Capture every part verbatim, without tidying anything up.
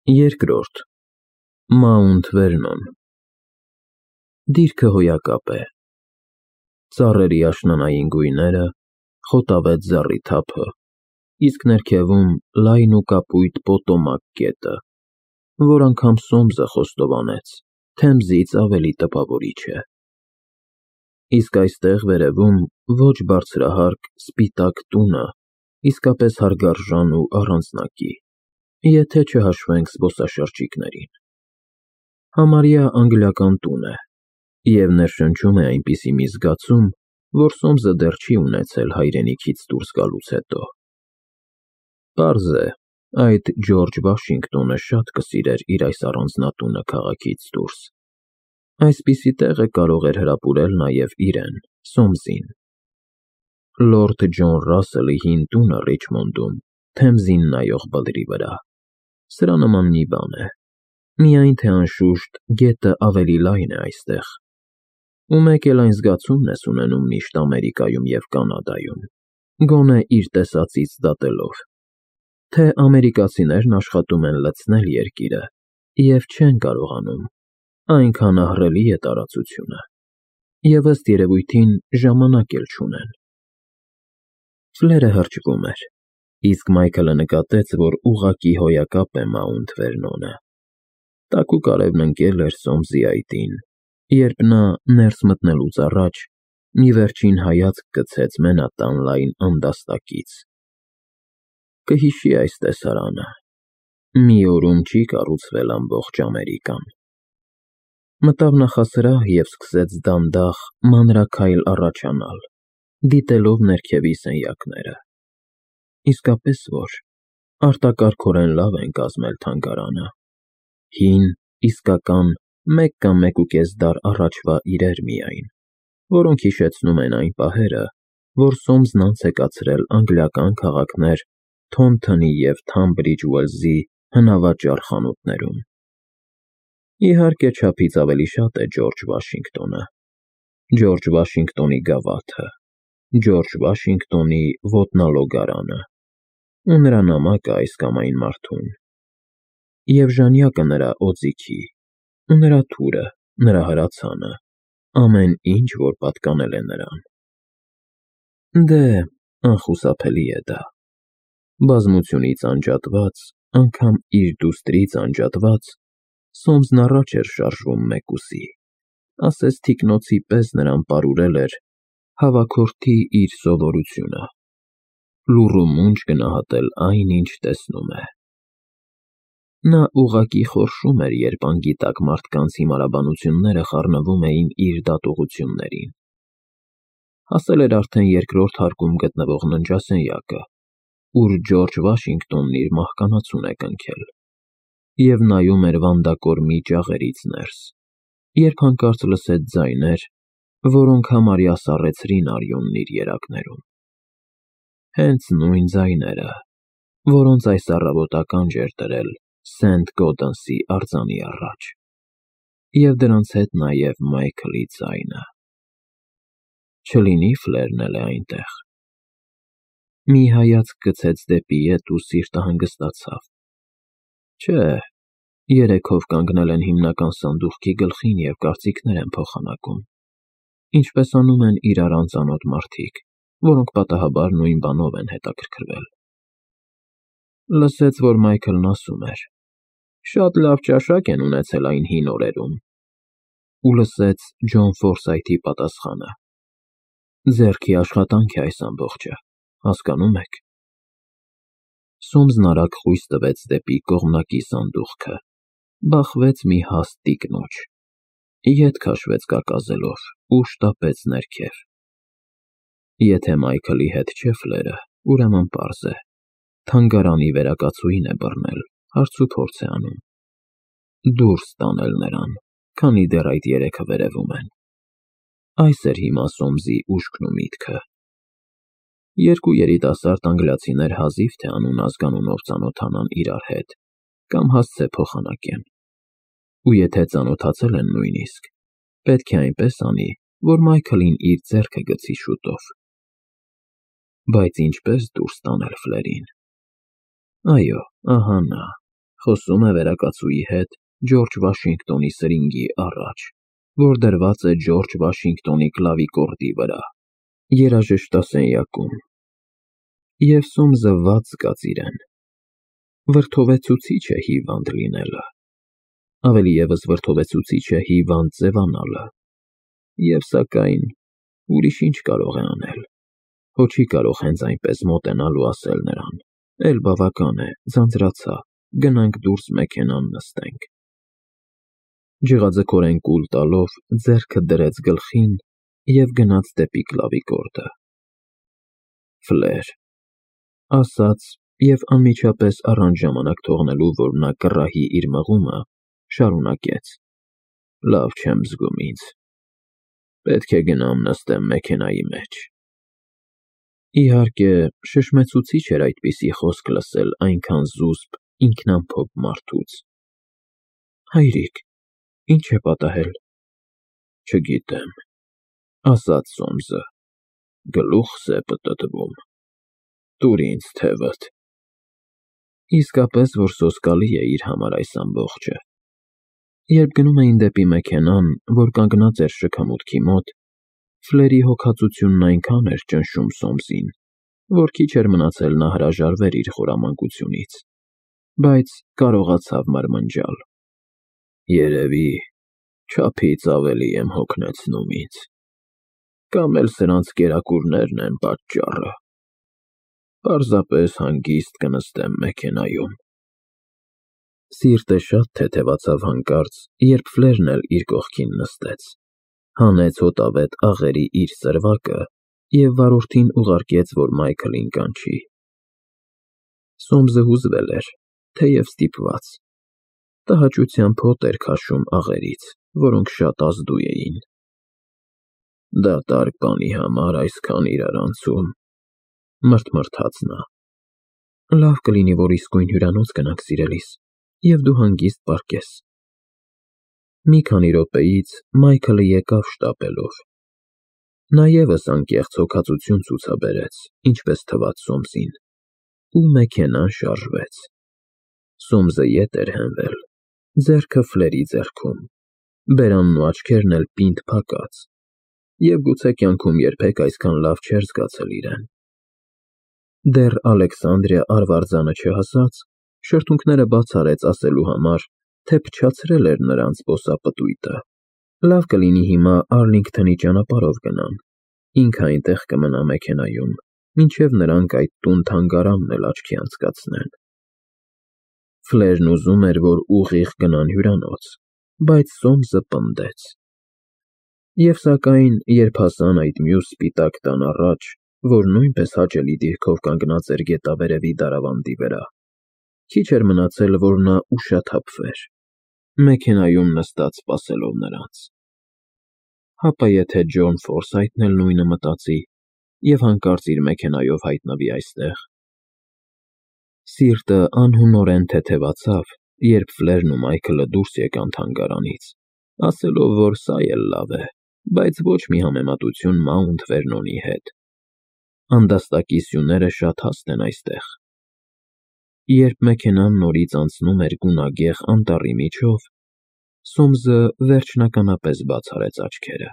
Երկրորդ Մաունթ Վերնոն Դիրքը հոյակապ է, ծառերի աշնանային գույները, խոտավետ զառիթափը, իսկ ներքևում լայն ու կապույտ Պոտոմակ գետը, որ անգամ Սոմսը խոստովանեց, Թեմզից ավելի տպավորիչ է։ Իսկ այստեղ վերևում ոչ բարձրահարկ, սպիտակ տունը իսկապես հարգարժան ու առանձնակի, եթե չհաշվենք զբոսաշրջիկներին։ Համարյա անգլիական տուն է, և ներշնչում է այնպիսի մի զգացում, որ Սոմսը դեռ չի ունեցել հայրենիքից դուրս գալուց հետո։ Պարզ է, այդ Ջորջ Վաշինգտոնը շատ կսիրեր իր այս առանձնատունը քաղաքից դուրս։ Այսպիսի տեղը կարող էր հրապուրել նաև իրեն, Սոմսին։ Լորդ Ջոն Ռասսելի հին տունը Ռիչմոնդում, Թեմզին նայող բլրի վրա, սրա նման մի բան է, միայն թե անշուշտ գետը ավելի լայն է այստեղ, ու մեկ էլ այն զգացումն ես ունենում միշտ Ամերիկայում և Կանադայում, գոնե իր տեսածից դատելով, թե ամերիկացիներն աշխատում են լցնել երկիրը և չեն կարողանում, այնքան ահռելի է տարածությունը, և ըստ երևույթին ժամանակ էլ չունեն։ Ֆլերը հրճվում էր, իսկ Մայքլը նկատեց, որ ուղղակի հոյակապ է Մաունթ Վերնոնը։ Տաքուկ արևն ընկել էր Սոմսի այտին, երբ նա, ներս մտնելուց առաջ, մի վերջին հայացք գցեց մենատան լայն անդաստակից։ Կհիշի այս տեսարանը, մի օրում չի կառուցվել ամբողջ Ամերիկան։ Մտավ նախասրահ և սկսեց դանդաղ, մանրաքայլ առաջանալ, դիտելով ներքևի սենյակները։ Իսկապես որ, արտակարգորեն լավ են կազմել թանգարանը։ Հին, իսկական, մեկ կամ մեկուկես դար առաջվա իրեր միայն, որոնք հիշեցնում են այն պահերը, որ Սոմսն անց է կացրել անգլիական քաղաքներ Թոնթոնի և Թամբրիջ Ուելզի հնավաճառ խանութներում։ Իհարկե, չափից ավելի շատ է Ջորջ Վաշինգտոնը, Ջորջ Վաշինգտոնի գավաթը, Ջորջ Վաշինգտոնի ոտնալոգարանը, ու նրա նամակը այս կամ այն մարդուն, և ժանյակը նրա օձիքի, ու նրա թուրը, նրա հրացանը, ամեն ինչ, որ պատկանել է նրան։ Դե, անխուսափելի է դա։ Բազմությունից անջատված, անգամ իր դուստրից անջատված, Սոմսն առաջ էր շարժվում մեկուսի, ասես թիկնոցի պես նրան պարուրել էր հավաքորդի իր սովորությունը՝ լուռ ու մունջ գնահատել այն, ինչ տեսնում է։ Նա ուղղակի խորշում էր, երբ անգիտակ մարդկանց հիմարաբանությունները խառնվում էին իր դատողություններին։ Հասել էր արդեն երկրորդ հարկում գտնվող ննջասենյակը, ուր Ջորջ Վաշինգտոնն իր մահկանացուն է կնքել, և նայում էր վանդակորմի ճաղերից ներս, երբ հանկարծ լսեց ձայներ, որոնք համարյա սառեցրին արյունն իր երակներում։ Հենց նույն ձայները, որոնց այս առավոտ ականջ էր դրել Սենթ Գոդենսի արձանի առաջ, և դրանց հետ նաև Մայքլի ձայնը։ Չլինի Ֆլերն էլ է այնտեղ։ Մի հայացք գցեց դեպի ետ ու սիրտը հանգստացավ։ Չէ, երեքով կանգնել են հիմնական սանդուղքի գլխին և կարծիքներ են փոխանակում, ինչպես անում են իրար անծանոթ մարդիկ, որոնք պատահաբար նույն բանով են հետաքրքրվել։ Լսեց, որ Մայքլն ասում էր. «Շատ լավ ճաշակ են ունեցել այն հին օրերում», ու լսեց Ջոն Ֆորսայթի պատասխանը. «Ձեռքի աշխատանք է այս ամբողջը, հասկանո՞ւմ եք»։ Սոմսն արագ խույս տվեց դեպի կողմնակի սանդուղքը, բախվեց մի հաստ տիկնոջ, ետ քաշվեց կակազելով ու շտապեց ներքև։ Եթե Մայքլի հետ չէ Ֆլերը, ուրեմն պարզ է, թանգարանի վերակացուհին է բռնել, հարցուփորձ է անում։ Դուրս տանել նրան, քանի դեռ այդ երեքը վերևում են։ Այս էր հիմա Սոմսի ուշքն ու միտքը։ Երկու երիտասարդ անգլիացիներ հազիվ թե անուն-ազգանունով ծանոթանան իրար հետ կամ հասցե փոխանակեն, ու եթե ծանոթացել են նույնիսկ, պետք է այնպես անի, որ Մայքլին իր ձեռքը գցի շուտով։ Բայց ինչպե՞ս դուրս տանել Ֆլերին։ Այո, ահա նա, Խոսում է վերակացուի հետ Ջորջ Վաշինգտոնի սրինգի առաջ, որ դրված է Ջորջ Վաշինգտոնի կլավիկորդի վրա, երաժշտասենյակում։ Եվ Սոմսը վատ զգաց իրեն։ Վրդովեցուցիչ է հիվանդ լինելը, ավելի ևս վրդովեցուցիչ է հիվանդ ձևանալը, և սակայն ուրիշ ինչ կարող է անել, հո չի կարող հենց այնպես մոտենալ ու ասել նրան. «Էլ բավական է, ձանձրացա, գնանք դուրս մեքենան նստենք»։ Ջղաձգորեն կուլ տալով ձեռքը դրեց գլխին և գնաց դեպի կլավիկորդը։ «Ֆլեր», ասաց և անմիջապես առանց ժամանակ թողնելու, որ նա կռահի իր մղումը, շարունակեց. «Լավ չեմ զգում ինձ, պետք է գնամ նստեմ մեքենայի մեջ»։ Իհարկե, շշմեցուցիչ էր այդպիսի խոսք լսել այնքան զուսպ, ինքնամփոփ մարդուց։ «Հայրիկ, ի՞նչ է պատահել»։ «Չգիտեմ», ասաց Սոմսը, «գլուխս է պտտվում, տուր ինձ թևդ»։ Իսկապես, որ սոսկալի է իր համար այս ամբողջը։ Երբ գնում էին դեպի մեքենան, որ կանգնած էր շքամուտքի մոտ, Ֆլերի հոգածությունն այնքան էր ճնշում Սոմսին, որ քիչ էր մնացել նա հրաժարվեր իր խորամանկությունից, բայց կարողացավ մրմնջալ. «Երևի չափից ավելի եմ հոգնեցնում ինձ, կամ էլ սրանց կերակուրներն են պատճառը։ Պարզապես հանգիստ կնստեմ մեքենայում»։ Սիրտը շատ թեթևացավ հանկարծ, երբ Ֆլերն էլ իր կողքին նստեց, հանեց հոտավետ աղերի իր սրվակը և վարորդին ուղարկեց, որ Մայքլին կանչի։ Սոմսը հուզվել էր, թեև ստիպված։ Տհաճությամբ հոտ էր քաշում աղերից, որոնք շատ ազդու էին։ «Դատարկ բանի համար այսքան իրարանցում», մրթմրթաց նա։ «Լավ կլինի, որ իսկույն հյուրանոց գնանք, սիրելիս, և դու հանգիստ պառկես»։ Մի քանի րոպեից Մայքլը եկավ շտապելով։ Նա ևս անկեղծ հոգածություն ցուցաբերեց, ինչպես թվաց Սոմսին, ու մեքենան շարժվեց։ Սոմսը ետ էր հենվել, ձեռքը Ֆլերի ձեռքում, բերանն ու աչքերն էլ պինդ փակած, և գուցե կյանքում երբեք այսքան լավ չէր զգացել իրեն։ Դեռ Ալեքսանդրիա արվարձանը չհասած, շրթունքները բաց արեց ասելու համար, թե փչացրել էր նրանց ոսապտույտը։ Լավ կլինի հիմա Արլինգթոնի ճանապարհով գնան, ինքը այնտեղ կմնա մեքենայում, մինչև նրանք այդ տուն֊թանգարանն էլ աչքի անցկացնեն։ Ֆլերն ուզում էր, որ ուղիղ գնան հյուրանոց, բայց Սոմսը պնդեց։ Եվ սակայն, երբ հասան այդ մյուս սպիտակ տան առաջ, որ նույնպես հաճելի դիրքով կանգնած էր գետավերևի դարավանդի վրա, քիչ էր մնացել, որ նա ուշաթափվեր, մեքենայում նստած սպասելով նրանց։ Հապա եթե Ջոն Ֆորսայթն էլ նույնը մտածի և հանկարծ իր մեքենայով հայտնվի այստեղ։ Սիրտը անհունորեն թեթևացավ, երբ Ֆլերն ու Մայքլը դուրս եկան թանգարանից, ասելով, որ սա էլ լավ է, բայց ոչ մի համեմատություն Մաունթ Վերնոնի հետ։ Անդաստակի սյուները շատ հաստ են այստեղ։ Երբ մեքենան նորից անցնում էր գունագեղ անտառի միջով, Սոմսը վերջնականապես բաց արեց աչքերը։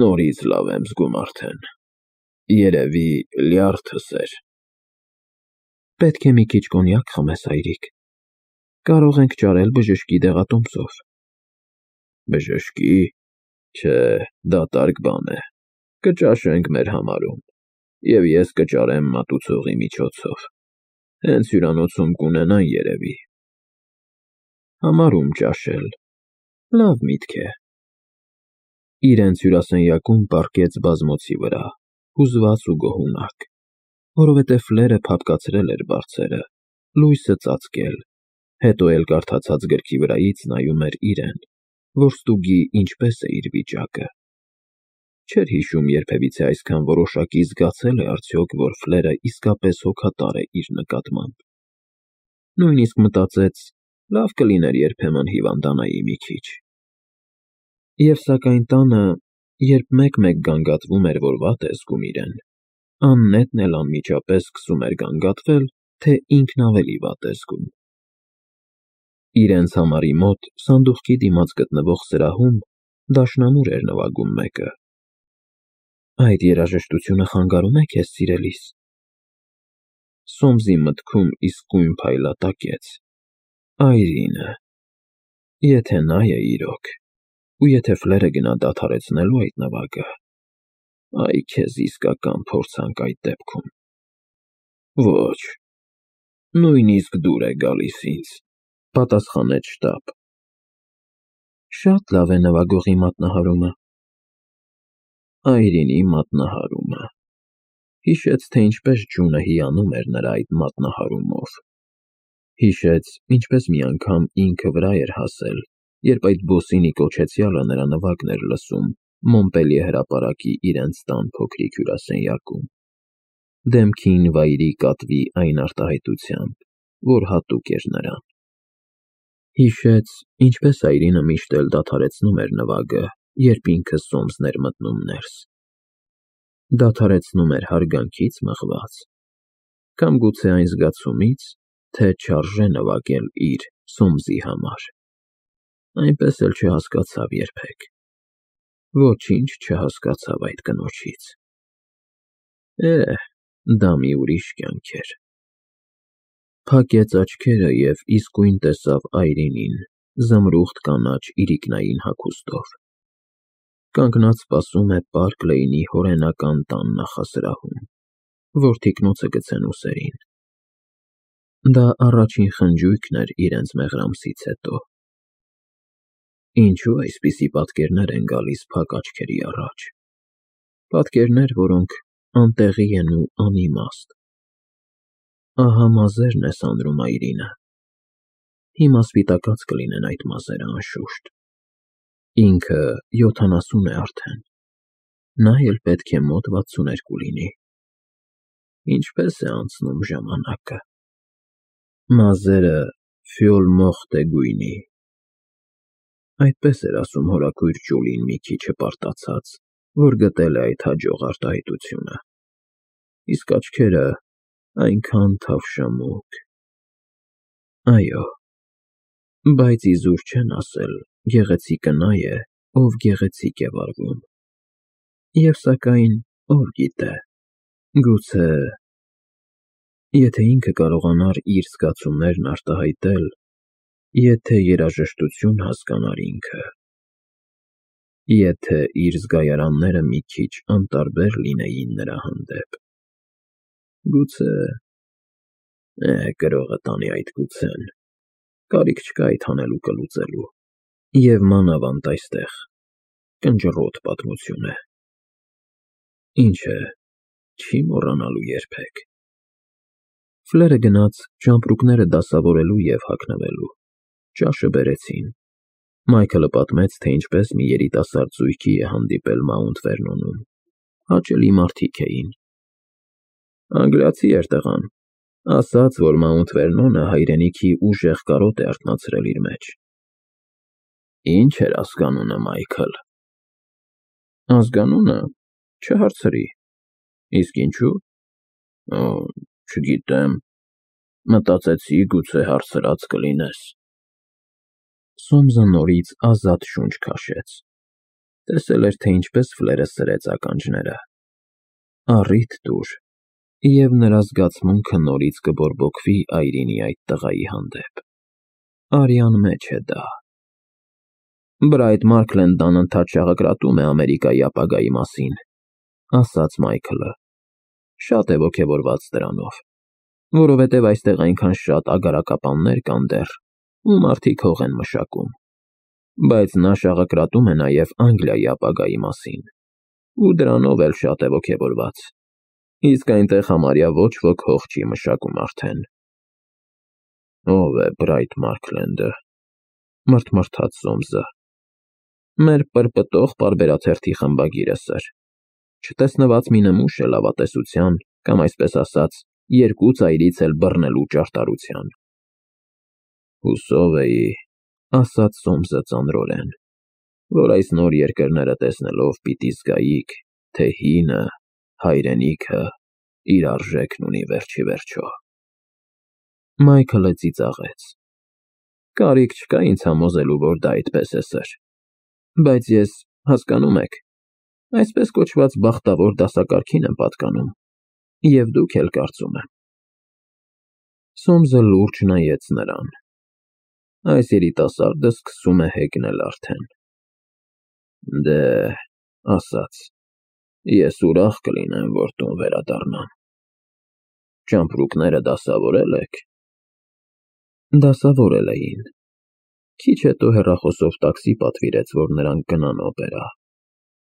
«Նորից լավ եմ զգում արդեն, երևի լյարդս էր»։ «Պետք է մի քիչ կոնյակ խմես, հայրիկ, կարող ենք ճարել բժշկի դեղատոմսով»։ «Բժշկի, չէ, դատարկ բան է, կճաշենք մեր համարում, և ես կճարեմ մատուցողի միջոցով, հենց հյուրանոցում կունենան, երևի»։ Համարում ճաշել, լավ միտք է։ Իրենց հյուրասենյակում պառկեց բազմոցի վրա, հուզված ու գոհունակ, որովհետև Ֆլերը փափկացրել էր բարձերը, լույսը ծածկել, հետո էլ կարդացած գրքի վրայից նայում էր իրեն, որ ստուգի ինչպես է իր վիճակը։ Չէր հիշում երբևիցե այսքան որոշակի զգացել է արդյոք, որ Ֆլերը իսկապես հոգատար է իր նկատմամբ։ Նույնիսկ մտածեց. լավ կլիներ երբեմն հիվանդանայի մի քիչ։ Եվ սակայն տանը, երբ մեկ-մեկ գանգատվում էր, որ վատ է զգում իրեն, աննետն էլ անմիջապես սկսում էր գանգատվել, թե ինքն ավելի վատ է զգում։ Իրենց համարի մոտ սանդուղքի դիմաց գտնվող սրահում դաշնամուր էր նվագում մեկը։ Այդ երաժշտությունը խանգարում է քեզ, սիրելիս։ Սոմսի մտքում իսկույն փայլատակեց. Այրինը։ Եթե նա է իրոք, ու եթե Ֆլերը գնա դադարեցնելու այդ նվագը, այ քեզ իսկական փորձանք այդ դեպքում։ Ոչ, նույնիսկ դուր է գալիս ինձ, պատասխանեց Շտապ։ Շատ լավ է նվագողի մատնահարումը։ Այրինի մատնահարումը։ Հիշեց, թե ինչպես ջունը հիանում էր նրա այդ մատնահարումով։ Հիշեց, ինչպես մի անգամ ինքը վրա էր հասել, երբ այդ բոսինի կոչեցյալը նրա նվագն էր լսում Մոնպելիե հրապարակի իրենց տան փոքրիկ հյուրասենյակում, դեմքին վայրի կատվի այն արտահայտությամբ, որ հատուկ էր նրան։ Հիշեց, ինչպես Այրինը միշտ էլ դադարեցնում էր նվագը, երբ ինքը Սոմսն էր մտնում ներս։ Դադարեցնում էր հարգանքից մղված, կամ գուցե այն զգացումից, թե չարժե նվագել իր Սոմսի համար։ Այնպես էլ չհասկացավ երբեք։ Ոչինչ չհասկացավ այդ կնոջից։ Է, դա մի ուրիշ կյանք էր։ Փակեց աչքերը և իսկույն տեսավ Այրինին զմրուխտ կանաչ իրիկնային հագուստով։ Կանգնած սպասում է Պարկ Լեյնի հորենական տան նախասրահում, որ թիկնոցը գցեն ուսերին։ Դա առաջին խնջույքն էր իրենց մեղրամսից հետո։ Ինչու այսպիսի պատկերներ են գալիս փակ աչքերի առաջ։ Պատկերներ, որոնք անտեղի են ու անիմաստ։ Ահա մազերն է սանրում Այրինը։ Հիմա սպիտակած կլինեն այդ մազերը, անշուշտ։ Ինքը յոթանասուն է արդեն, նա էլ պետք է մոտ վաթսուներկու լինի։ Ինչպես է անցնում ժամանակը։ Մազերը ֆյոլ մոխտե գույնի։ Այդպես էր ասում հորաքույր Ջուլին մի քիչ հպարտացած, որ գտել է այդ հաջող արտահայտությունը։ Իսկ աչքերը այնքան թավշամուկ։ Այո, բայց իզուր չեն ասել. գեղեցիկը նա է, ով գեղեցիկ է վարվում։ Եվ սակայն, ով գիտե, գուցե… Եթե ինքը կարողանար իր զգացումներն արտահայտել, եթե երաժշտություն հասկանար ինքը, եթե իր զգայարանները մի քիչ անտարբեր լինեին նրա հանդեպ, գուցե… Է, գրողը տանի այդ գուցեն, կարիք չկա այդ հանելուկը լուծելու, և մանավանդ այստեղ, կնճռոտ պատմություն է։ Ինչ է, չի մոռանալու երբեք։ Ֆլերը գնաց ճամպրուկները դասավորելու և հագնվելու։ Ճաշը բերեցին։ Մայքլը պատմեց, թե ինչպես մի երիտասարդ զույգի է հանդիպել Մաունտ Վերնոնում։ Հաճելի մարդիկ էին։ Անգլիացի էր տղան, ասաց, որ Մաունտ Վերնոնը հայրենիքի ուժեղ կարոտ է արթնացրել իր մեջ։ Ինչ էր ազգանունը, Մայքլ։ Ազգանունը… չհարցրի։ Իսկ ինչու։ Օ, չգիտեմ, մտածեցի, գուցե հարցրած կլինես։ Սոմսը նորից ազատ շունչ քաշեց։ Տեսել էր, թե ինչպես Ֆլերը սրեց ականջները։ Առիթ տուր, և նրա զգացմունքը նորից կբորբոքվի Այրինի այդ տղայի հանդեպ։ Արյան մեջ է դա։ Բրայտ Մարքլենն անընդհատ շաղակրատում է Ամերիկայի ապագայի մասին, ասաց Մայքլը։ Շատ է ոգևորված դրանով, որովհետև այստեղ այնքան շատ ագարակապաններ կան դեռ, ու մարդիկ հող են մշակում, բայց նա շաղակրատում է նաև Անգլիայի ապագայի մասին, ու դրանով էլ շատ է ոգևորված, իսկ այնտեղ համարյա ոչ ոք հող չի մշակում արդեն։ Ո՞վ է Բրայտ Մարքլենդը, մռթմռթաց Սոմսը։ Մեր պրպտող պարբերաթերթի խմբագիրը, սըր, չտեսնված մի նմուշ է լավատեսության, կամ այսպես ասած, երկու ծայրից էլ բռնելու ճարտարության։ Հուսով էի, ասաց Սոմսը ծանրորեն, որ այս նոր երկրները տեսնելով պիտի զգայիք, թե հինը, հայրենիքը, իր արժեքն ունի վերջիվերջո։ Մայքլը ծիծաղեց։ Կարիք չկա ինձ համոզելու, որ դա այդպես է, սըր, բայց ես, հասկանում եք, այսպես կոչված բախտավոր դասակարգին եմ պատկանում, և դուք էլ, կարծում եմ։ Սոմսը լուրջ նայեց նրան։ Այս երիտասարդը սկսում է հեգնել արդեն։ Դե, ասաց, ես ուրախ կլինեմ, որ տուն վերադառնամ։ Ճամպրուկները դասավորե՞լ եք։ Դասավորել էին։ Քիչ հետո հեռախոսով տաքսի պատվիրեց, որ նրանք գնան օպերա։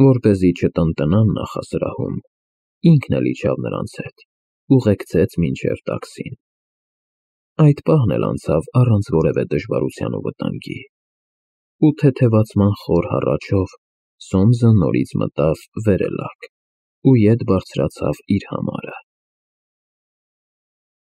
Որպեսզի չտնտնան նախասրահում, ինքն էլ իջավ նրանց հետ, ուղեկցեց մինչև տաքսին։ Այդ պահն էլ անցավ առանց որևէ դժվարության ու վտանգի։ Ու թեթևացման խոր հառաչով Սոմսը նորից մտավ վերելակ ու ետ բարձրացավ իր համարը։